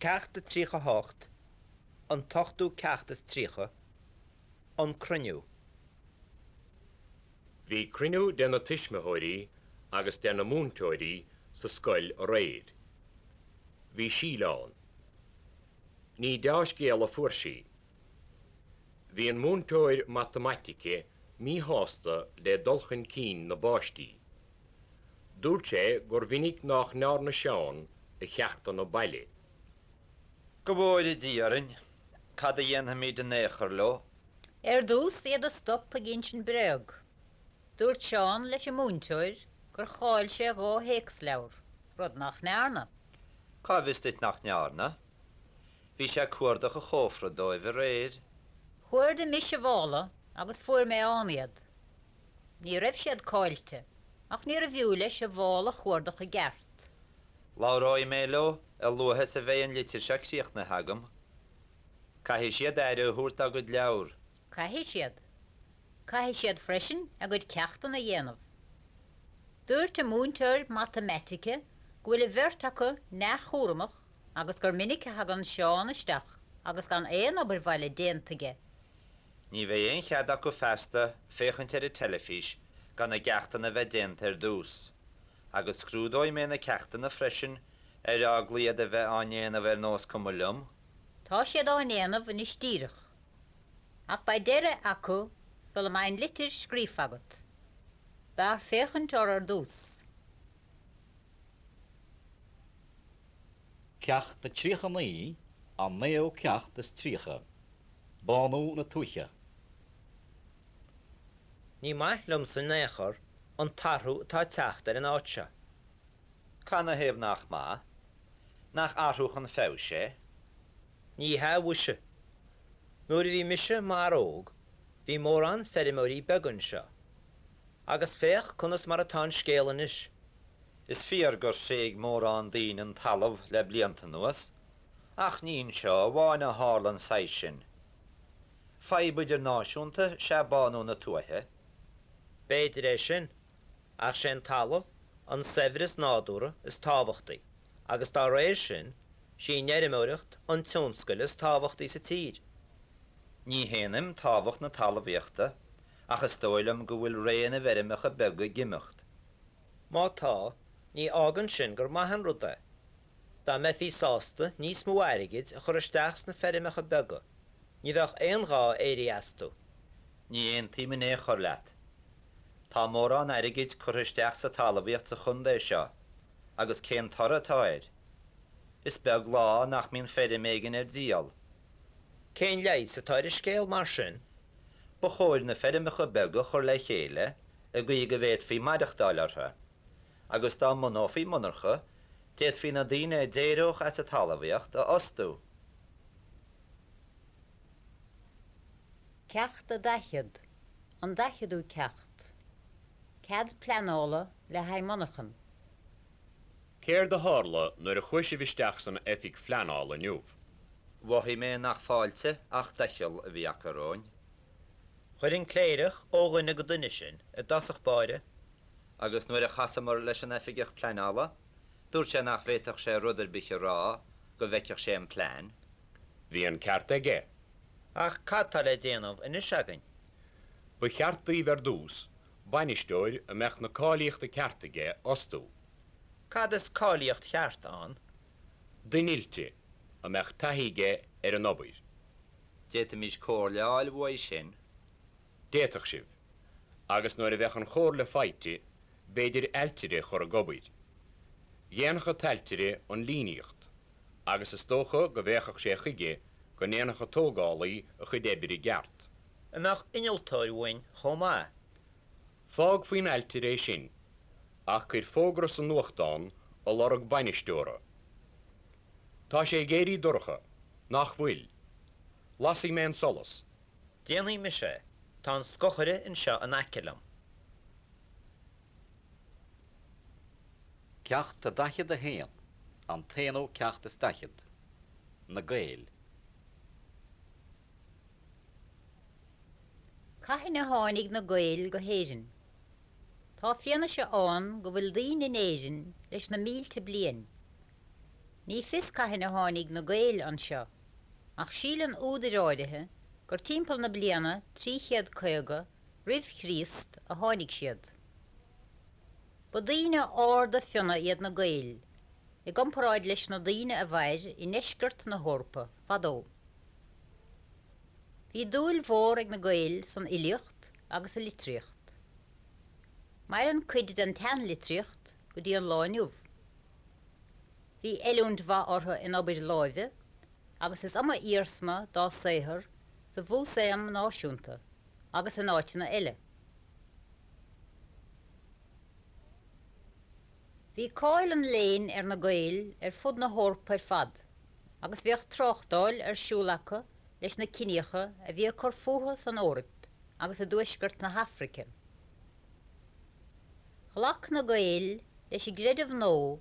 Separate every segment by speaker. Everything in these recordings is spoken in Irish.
Speaker 1: Ceacht a 38, An t-ochtú ceacht is 30, An Cruinniú.
Speaker 2: Bhí cruinniú de na tuismitheoirí agus de na múinteoirí sa scoil aréir. Bhí Síle ann. Ní deá-scéal a fuair sí. Bhí an múinteoir matamaitice míshásta le dul chun cinn na bpáistí. Dúirt sé gur mhinic nach ndearna Seán a cheachtanna baile.
Speaker 3: Go bhfóire Dia orainn, cad a dhéanfaimid in aon chor leo?
Speaker 4: Ar dtús, iad a stop ag insint bréag. Dúirt Seán leis an múinteoir gur chaill sé dhá théacsleabhar, rud nach ndearna.
Speaker 3: Cá bhfios duit nach ndearna? Bhí sé ag cuardach a chófra dóibh aréir.
Speaker 4: Chuardaigh mise a mhála agus fuair mé ann iad. Ní raibh siad caillte, ach níorbh fhiú leis a mhála a chuardach i gceart.
Speaker 3: Labhróidh mé leo a luaithe is a bheidh an litir seo críochnaithe agam. Caithfidh siad aire a thabhairt dá gcuid leabhar.
Speaker 4: Caithfidh siad. Caithfidh siad freisin a gcuid ceachtanna a dhéanamh. Dúirt an múinteoir matamaitice go bhfuil an bheirt acu neamhchúramach agus gur minic a thagann Seán isteach agus gan aon obair bhaile déanta aige.
Speaker 3: Ní bheidh aon chead acu feasta féachaint ar an teilifís gan a gceachtanna a bheith déanta ar dtús. Agus scrúdóidh mé na ceachtanna freisin ar eagla iad a bheith á ndéanamh ar nós cuma liom.
Speaker 4: Tá siad á ndéanamh anois díreach. Ach beidh deireadh acu sula mbeidh an litir scríofa agat. B'fhearr féachaint orthu ar dtús.
Speaker 5: Ceacht 39, An naoú ceacht is 30, Bánú na Tuaithe.
Speaker 1: Ní maith liomsa in aon chor an t-athrú atá ag teacht ar an áit seo.
Speaker 3: Canathaobh nach maith? Nach athrú chun feabhais é?
Speaker 1: Ní hea mhuise. Nuair a bhí mise i m'fhear óg bhí mórán feirmeoirí beaga anseo. Agus féach conas mar atá an scéal anois.
Speaker 3: Is fíor gur thréig mórán daoine an talamh le blianta anuas, ach ní anseo amháin a tharla an saghas sin. Fadhb idirnáisiúnta is ea bánú na tuaithe.
Speaker 1: B'fhéidir é sin, ach sé an talamh an saibhreas nádúrtha is tábhachtaí agus dá réir sin, sí an fheirmeoireacht an tionscal is tábhachtaí sa tír.
Speaker 3: Ní shéanaim tábhacht na talmhaíochta, ach is dóigh liom go bhfuil ré na bhfeirmeacha beaga ag imeacht.
Speaker 1: Má tá, ní fhágann sin gur maith an rud é. Dá mbeifí sásta níos mó airgid a chur isteach sna feirmeacha beaga, ní bheadh aon ghá éirí astu.
Speaker 3: Ní aontaím in aon chor leat. Tá mórán airgid curtha isteach sa talmhaíocht sa chontae seo, agus cén toradh atá air? Is beag lá nach mbíonn feirm éigin ar díol.
Speaker 1: Cén leigheas atá ar an scéal mar sin?
Speaker 3: Ba chóir na feirmeacha beaga a chur le chéile i gcaoi go bhféadfaí maireachtáil orthu, agus dá mbunófaí monarcha, d'fhéadfaí na daoine a d'éireodh as an talmhaíocht a fhostú.
Speaker 4: Ceacht 40, An daicheadú ceacht. Cead pleanála le haghaidh monarchan.
Speaker 2: Céard a tharla nuair a chuaigh sibh isteach san oifig phleanála inniu?
Speaker 3: Mhothaigh mé nach fáilte ach doicheall a bhí acu romhainn.
Speaker 1: Chuir an cléireach ó dhuine go duine sinn i dtosach báire.
Speaker 3: Agus nuair a chasamar leis an oifigeach pleanála, dúirt sé nach bhféadfadh sé rud ar bith a rá go bhfeicfeadh sé an plean.
Speaker 2: Bhí an ceart aige.
Speaker 1: Ach cad tá le déanamh anois againn?
Speaker 2: Ba cheart daoibh ar dtús bainisteoir a mbeadh na cáilíochta ceart aige a fhostú.
Speaker 1: Cad is cáilíocht cheart ann?
Speaker 2: Duine oilte, a mbeadh taithí aige ar an obair.
Speaker 3: D'fhéadfaimis comhairle a fháil uaidh sin.
Speaker 2: D'fhéadfadh sibh. Agus nuair a bheadh an chomhairle faighte, b'fhéidir ailtire a chur ag obair. Dhéanfadh an t-ailtire an líníocht, agus is dócha go bhféachfadh sé chuige go ndéanfadh an tógálaí a chuid oibre i gceart.
Speaker 1: An mbeadh innealtóir uainn chomh maith?
Speaker 2: Fág faoin ailtire é sin, ach cuir fógra sa nuachtán ag lorg bainisteora. Tá sé ag éirí dorcha, nach bhfuil? Lasfaidh mé an solas.
Speaker 1: Déanfaidh mise é, tá an scochaire anseo in aice liom.
Speaker 5: Ceacht 41, An t-aonú ceacht is daichead. Na Gaeil.
Speaker 4: Cathain a tháinig na Gaeil go hÉirinn? Tá fianaise ann go bhfuil daoine in Éirinn leis na mílte bliain. Ní fios cathain a tháinig na Gaeil anseo, ach síleann údair áirithe gur timpeall na bliana 350 roimh Chríost a tháinig siad. Ba daoine arda fionna iad na Gaeil, i gcomparáid leis na daoine a mhair i ndeisceart na hEorpa fadó. Bhí dúil mhór ag na Gaeil san fhilíocht agus sa litríocht. Maireann cuid den tseanlitríocht go dtí an lá inniu. Bhí oiliúint mhaith orthu in obair láimhe agus is iomaí iarsma dá saothar sa Mhúsaem Náisiúnta agus in áiteanna eile. Bhí cáil an léinn ar na Gaeil ar fud na hEorpa ar fad agus bhíodh tráchtáil ar siúl acu leis na ciníocha a bhí ag cur fúthu san Eoraip agus i dtuaisceart na hAfraice. Ghlac na Gaeil leis an gcreideamh nua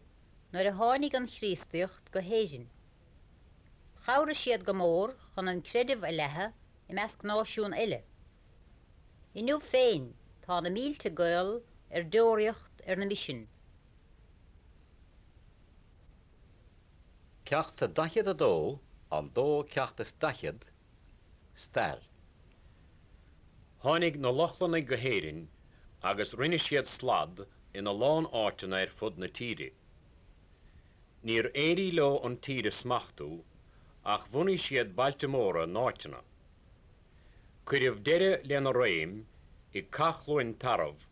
Speaker 4: nuair a tháinig an Chríostaíocht go hÉirinn. Chabhraigh siad go mór chun an creideamh a leathadh i measc náisiún eile. Inniu féin tá na mílte Gael ar deoraíocht ar na misin.
Speaker 5: Ceacht 42, an dóú ceacht is daichead, Stair.
Speaker 2: Tháinig na Lochlannaigh go hÉirinn agus rinne siad slad ina lán áiteanna ar fud na tíre. Níor éirigh leo an tír a smachtú ach bhunaigh siad bailte móra in áiteanna. Cuireadh deireadh lena réim i gCath Chluain Tarbh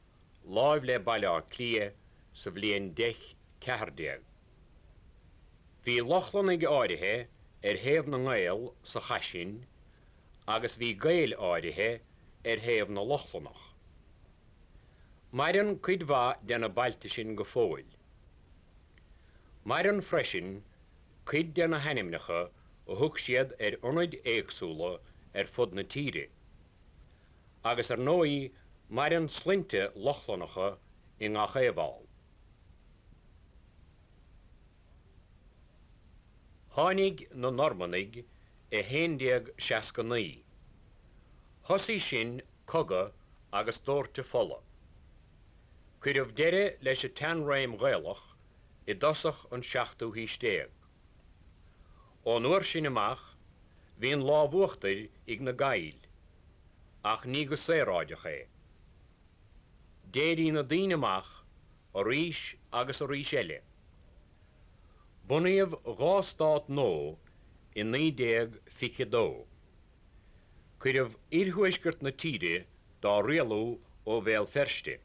Speaker 2: láimh le Baile Átha Cliath sa bhliain 1014. Bhí Lochlannaigh áirithe ar thaobh na nGael sa chath sin agus bhí Gaeil áirithe ar thaobh na Lochlannach. Maireann cuid mhaith de na bailte sin go fóill. Maireann freisin cuid de na hainmneacha a thug siad ar ionaid éagsúla ar fud na tíre. Agus ar ndóigh maireann sloinnte Lochlannacha i ngach aon bhall. Tháinig na Normannaigh i 1169. Thosaigh sin cogadh agus dóirteadh fola. Cuireadh deireadh leis an tseanréim Ghaelach i dtosach an seachtú haois déag. Ón uair sin amach bhí an lámh uachtair ag na Gaill, ach ní go saoráideach é. D'éirigh na daoine amach arís agus arís eile. Bunaíodh dhá stát nua i 1922. Cuireadh iarthuaisceart na tíre dá rialú ó Bhéal Feirste,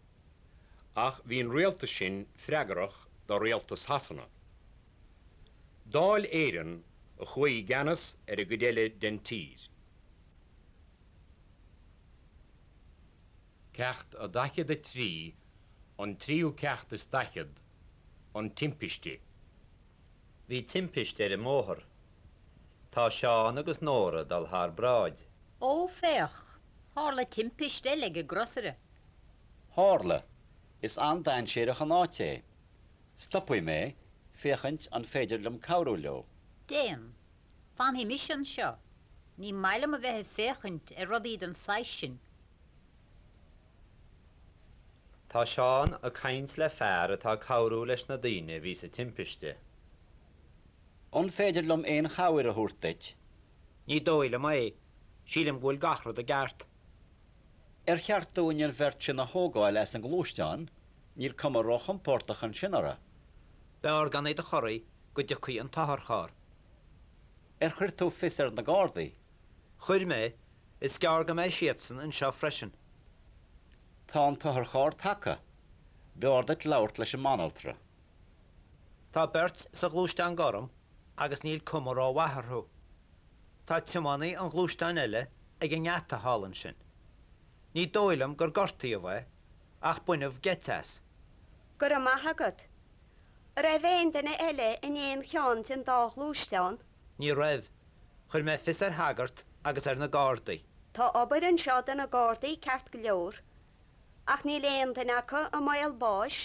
Speaker 2: ach bhí an rialtas sin freagrach do rialtas Shasana. Dáil Éireann a chuaigh i gceannas ar an gcuid eile den tír. Ceacht 43, An tríú ceacht is daichead, An timpiste.
Speaker 3: Bhí timpiste ar an mbóthar. Tá Seán agus Nóra ag dul thar bráid.
Speaker 4: Ó, féach! Tharla timpiste eile ag an gcrosaire.
Speaker 5: Tharla. Is an-dainséarach an áit é. Stopfaidh mé, féachaint an féidir liom cabhrú leo.
Speaker 4: Déan. Fanfaidh mise anseo. Ní maith liom a bheith ag féachaint ar rudaí den saghas sin.
Speaker 3: Tá Seán ag caint le fear atá ag cabhrú leis na daoine a bhí sa timpiste.
Speaker 5: An féidir liom aon chabhair a thabhairt duit?
Speaker 1: Ní dóigh liom é. Sílim go bhfuil gach rud i gceart.
Speaker 5: Ar cheart dúinn an bheirt sin a thógáil as an ngluaisteán? Níl cuma róchompordach ansin orthu.
Speaker 1: B'fhearr gan iad a chorraí go dtiocfaidh an t-otharcharr.
Speaker 5: Ar chuir tú fios ar na Gardaí?
Speaker 1: Chuir mé. Is gearr go mbeidh siadsan anseo freisin.
Speaker 5: Tá an t-otharcharr tagtha. B'fhearr duit labhairt leis an mbanaltra.
Speaker 1: Tá beirt sa ghluaisteán gorm agus níl cuma rómhaith orthu. Tá tiománaí an ghluaisteáin eile ag an ngeata thall ansin. Ní dóigh liom gur gortaíodh é, ach baineadh geit as.
Speaker 6: Go raibh maith agat. An raibh aon duine eile in aon cheann den dá ghluaisteán?
Speaker 1: Ní raibh. Chuir mé fios ar shagart agus ar na Gardaí.
Speaker 6: Tá obair anseo do na Gardaí ceart go leor, ach níl aon duine acu i mbaol báis.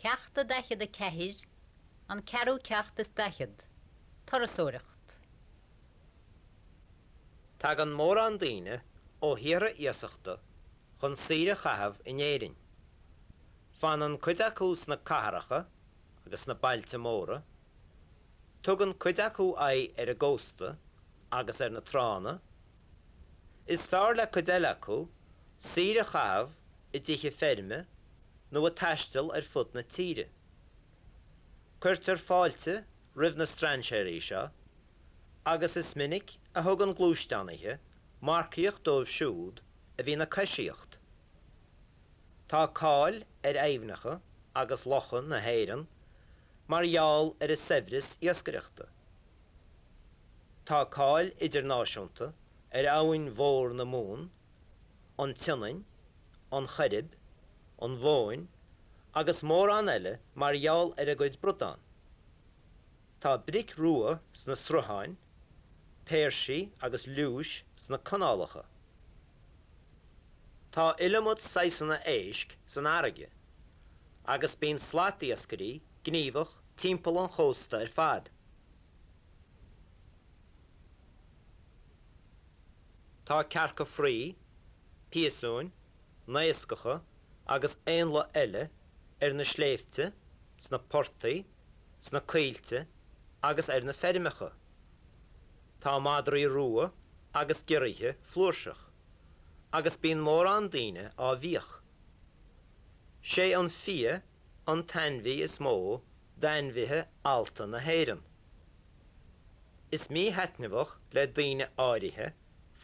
Speaker 4: Ceacht 44, An Ceathrú Ceacht is Daichead, Turasóireacht.
Speaker 1: Tagann mórán daoine ó thíortha iasachta chun saoire a chaitheamh in Éirinn. Fanann cuid acu sna cathracha agus sna bailte móra. Tugann cuid acu aghaidh ar an gcósta agus ar na tránna. Is fearr le cuid eile acu saoire a chaitheamh i dtithe feirme nó ag taisteal ar fud na tíre. Cuirtear fáilte roimh na strainséirí seo agus is minic a thugann gluaisteánaithe marcaíocht dóibh siúd a bhíonn ag coisíocht. Tá cáil ar aibhneacha agus locha na hÉireann mar gheall ar a saibhreas iascaireachta. Tá cáil idirnáisiúnta ar abhainn mhór na Mumhan, an tSionainn, an Choirib, an Bhóinn agus mórán eile mar gheall ar a gcuid bradán. Tá bric rua sna srutháin, péirsí agus liúis sna canálacha. Tá iliomad saghsanna éisc san fharraige agus bíonn slatiascairí gníomhach timpeall an chósta ar fad. Tá cearca fraoigh, piasúin, naoscacha agus éanlaith eile ar na sléibhte, sna portaigh, sna coillte agus ar na feirmeacha. Tá madraí rua agus giorraithe flúirseach, agus bíonn mórán daoine á bhfiach. Sé an fia an t-ainmhí is mó d'ainmhithe allta na hÉireann. Is míthaitneamhach le daoine áirithe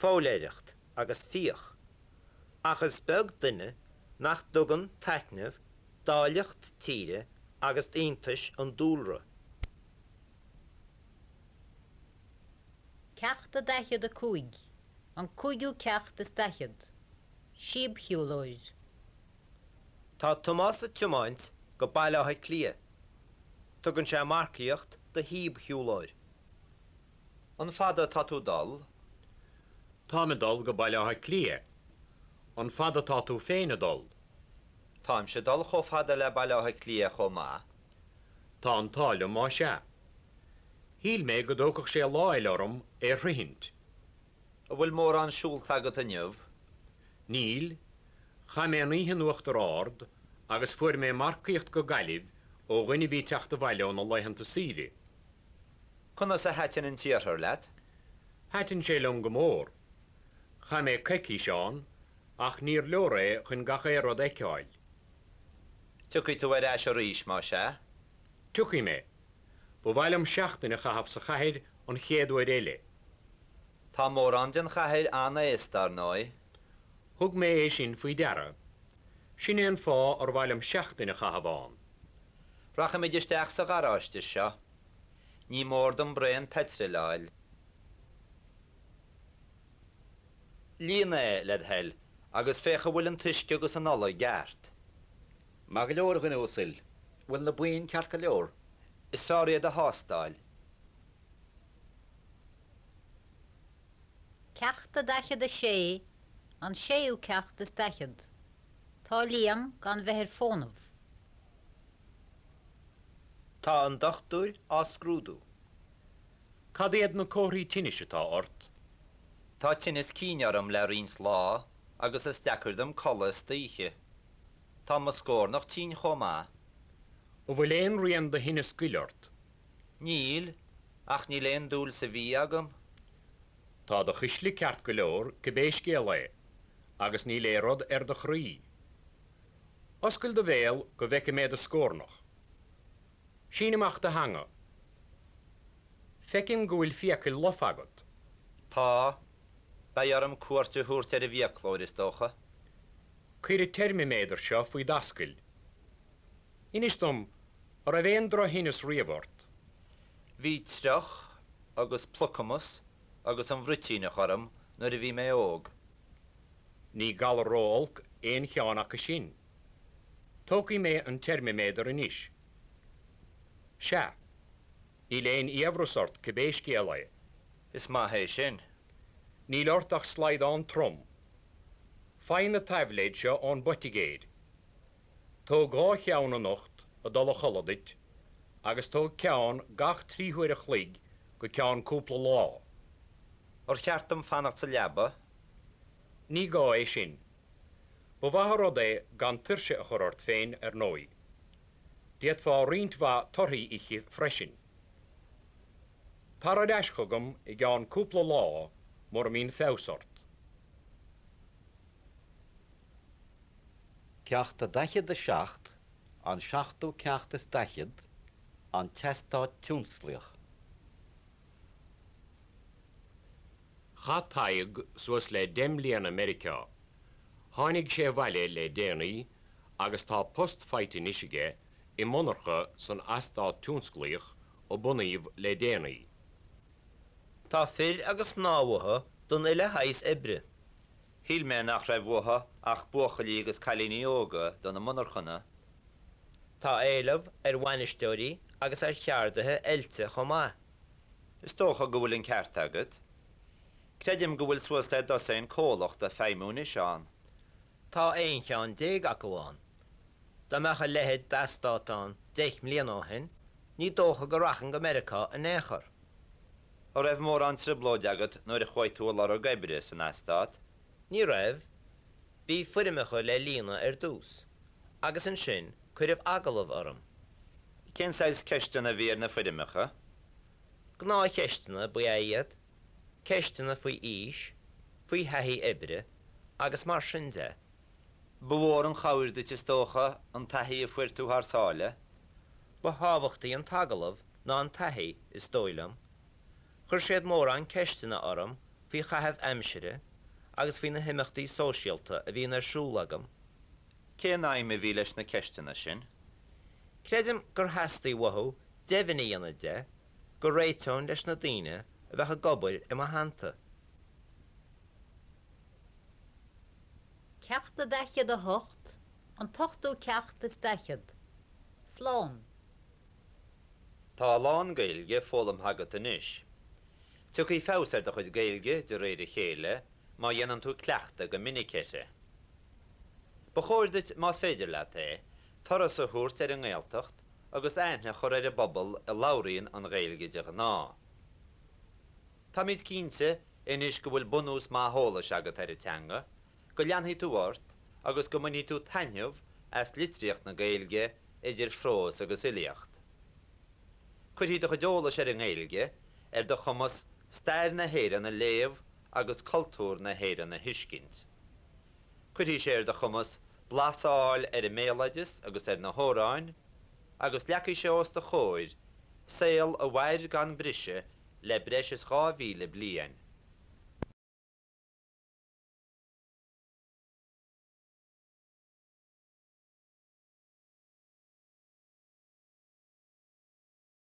Speaker 1: foghlaeireacht agus fiach, ach is beag duine nach dtugann taitneamh d'áilleacht tíre agus d'iontais an dúlra.
Speaker 4: Ceacht a 45, An cúigiú ceacht is daichead. Síobshiúlóir.
Speaker 1: Tá Tomás ag tiomáint go Baile Átha Cliath. Tugann sé marcaíocht do shíobshiúlóir.
Speaker 3: An fada atá tú dul?
Speaker 2: Táim ag dul go Baile Átha Cliath. An fada atá tú féin ag dul?
Speaker 3: Táimse ag dul chomh fada le Baile Átha Cliath chomh maith.
Speaker 2: Tá an t-ádh liom más ea. Shíl mé go dtógfadh sé lá eile orm é a shroichint.
Speaker 3: An bhfuil mórán siúlta agat inniu?
Speaker 2: Níl. Chaith mé an oíche in Uachtar Ard agus fuair mé marcaíocht go Gaillimh ó dhuine a bhí ag teacht abhaile óna laethanta saoire.
Speaker 3: Conas a thaitin an t-iarthar leat?
Speaker 2: Thaitin sé liom go mór. Chaith mé coicís ann ach níor leor é chun gach aon rud a fheiceáil.
Speaker 3: Tiocfaidh tú ar ais arís, más ea?
Speaker 2: Tiocfaidh mé. Ba mhaith liom seachtain a chaitheamh sa chathair an chéad uair eile.
Speaker 3: Tá mórán den chathair an-aosta, ar ndóigh.
Speaker 2: Thug mé é sin faoi deara. Sin é an fáth ar mhaith liom seachtain a chaitheamh ann.
Speaker 3: Rachaimid isteach sa gharáiste seo. Ní mór dom braon peitril a fháil. Líon é, led thoil, agus féach an bhfuil an t-uisce agus an ola i gceart.
Speaker 5: Maith go leor, a dhuine uasail. Bhfuil na boinn ceart go leor?
Speaker 3: Is fearr iad a thástáil.
Speaker 4: Ceacht a 46, An séú ceacht is daichead. Tá Liam gan bheith ar fónamh.
Speaker 1: Tá an dochtúir á scrúdú.
Speaker 2: Cad iad na comharthaí tinnis atá ort?
Speaker 3: Tá tinneas cinn orm le roinnt lá agus is deacair dom codladh istoíche. Tá mo scórnach tinn chomh maith.
Speaker 2: An bhfuil aon rian de thinneas goil ort?
Speaker 3: Níl, ach níl aon dúil sa bhia agam.
Speaker 2: Tá do chuisle ceart go leor cibé scéal é, agus níl aon rud ar do chroí. Oscail do bhéal go bhfeice mé do scórnach. Sín amach do theanga. Feicim go bhfuil fiacail lofa agat.
Speaker 3: Tá. Beidh orm cuairt a thabhairt ar an bhfiaclóir, is dócha.
Speaker 2: Cuir an teirmiméadar seo faoi d'ascaill. Inis dom, an raibh aon drochthinneas riamh ort?
Speaker 3: Bhí triuch agus plucamas agus an bhruitíneach orm nuair a bhí mé óg.
Speaker 2: Ní galar ró-olc aon cheann acu sin. Tógfaidh mé an teirmiméadar anois. Sea. Níl aon fhiabhras ort cibé scéal é.
Speaker 3: Is maith é sin.
Speaker 2: Níl ort ach slaghdán trom. Faigh na taibléid seo ón bpoitigéir. Tóg dhá cheann anocht ag dul a chodladh duit agus tóg ceann gach trí huaire a chloig go ceann cúpla lá.
Speaker 3: Ar cheart dom fanacht sa leaba?
Speaker 2: Ní gá é sin. Ba mhaith an rud é gan tuirse a chur ort féin, ar ndóigh. D'fhéadfá roinnt mhaith torthaí a ithe freisin. Tar ar ais chugam i gceann cúpla lá mura mbíonn feabhas ort.
Speaker 5: Ceacht 47, An seachtú ceacht is daichead, An tEastát Tionsclaíoch.
Speaker 2: Chaith Tadhg suas le deich mbliana i Meiriceá. Tháinig sé abhaile le déanaí agus tá post faighte anois aige i monarcha san eastát tionsclaíoch a bunaíodh le déanaí.
Speaker 1: Tá fir agus mná uathu don uile shaghas oibre.
Speaker 3: Shíl mé nach raibh uathu ach buachaillí agus cailíní óga do na monarchana.
Speaker 1: Tá éileamh ar bhainisteoirí agus ar cheardaithe oilte chomh maith.
Speaker 3: Is dócha go bhfuil an ceart agat. Creidim go bhfuil suas le dosaen comhlacht ag feidhmiú anois ann.
Speaker 1: Tá 11 cheann acu ann. Dá mbeadh a leithéid d'eastát ann deich mbliana ó shin, ní dócha go rachainn go Meiriceá in aon chor.
Speaker 3: An raibh mórán trioblóid agat nuair a chuaigh tú ag lorg oibre san eastát?
Speaker 1: Ní raibh. Bhí foirmeacha le líonadh ar dtús, agus ansin cuireadh agallamh orm.
Speaker 3: Cén saghas ceisteanna a bhí ar na foirmeacha?
Speaker 1: Gnáthcheisteanna ba ea iad, ceisteanna faoi aois, faoi thaithí oibre agus mar sin de.
Speaker 3: Ba mhór an chabhair duit, is dócha, an taithí a fuair tú thar sáile.
Speaker 1: Ba thábhachtaí an t-agallamh ná an taithí, is dóigh liom. Chuir siad mórán ceisteanna orm faoi chaitheamh aimsire agus faoi na himeachtaí sóisialta a bhíonn ar siúl agam.
Speaker 3: Cén aidhm a bhí leis na ceisteanna sin?
Speaker 1: Creidim gur theastaigh uathu deimhin a dhéanamh de go réiteoinn leis na daoine a bheadh ag obair i mo theannta.
Speaker 4: Ceacht 48, An t-ochtú ceacht is daichead. Slán.
Speaker 3: Tá a lán Gaeilge foghlamtha agat anois. Tiocfaidh feabhas ar do chuid Gaeilge de réir a chéile má dhéanann tú cleachtadh go minic uirthi. Ba chóir duit, más féidir leat é, turas a thabhairt ar an nGaeltacht agus aithne a chur ar an bpobal a labhraíonn an Ghaeilge de ghnáth. Táimid cinnte anois go bhfuil bunús maith eolais agat ar an teanga, go leanfaidh tú ort agus go mbainfidh tú taitneamh as litríocht na Gaeilge idir phrós agus fhilíocht. Cuirfidh do chuid eolais ar an nGaeilge ar do chumas stair na hÉireann a léamh agus cultúr na hÉireann a thuiscint. Cuirfidh sé ar do chumas blas a fháil ar an mbéaloideas agus ar na hamhráin, agus leagfaidh sé os do chomhair saol a mhair gan briseadh le breis is 2,000 bliain.